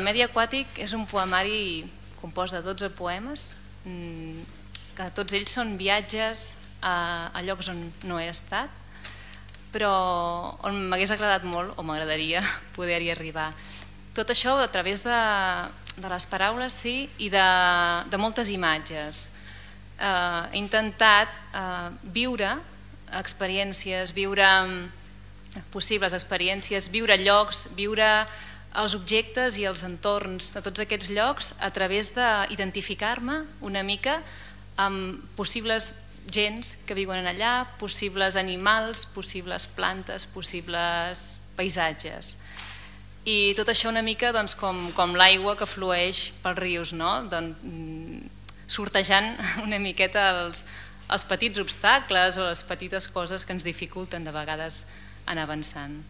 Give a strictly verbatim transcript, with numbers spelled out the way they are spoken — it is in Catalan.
El Medi aquàtic és un poemari compost de dotze poemes, que tots ells són viatges a, a llocs on no he estat, però on m'hagués agradat molt, o m'agradaria poder-hi arribar. Tot això a través de, de les paraules, sí, i de, de moltes imatges. Eh, he intentat eh, viure experiències, viure possibles experiències, viure llocs, viure els objectes i els entorns de tots aquests llocs a través d'identificar-me una mica amb possibles gents que viuen allà, possibles animals, possibles plantes, possibles paisatges. I tot això una mica doncs, com, com l'aigua que flueix pels rius, no? doncs, sortejant una miqueta els, els petits obstacles o les petites coses que ens dificulten de vegades anar avançant.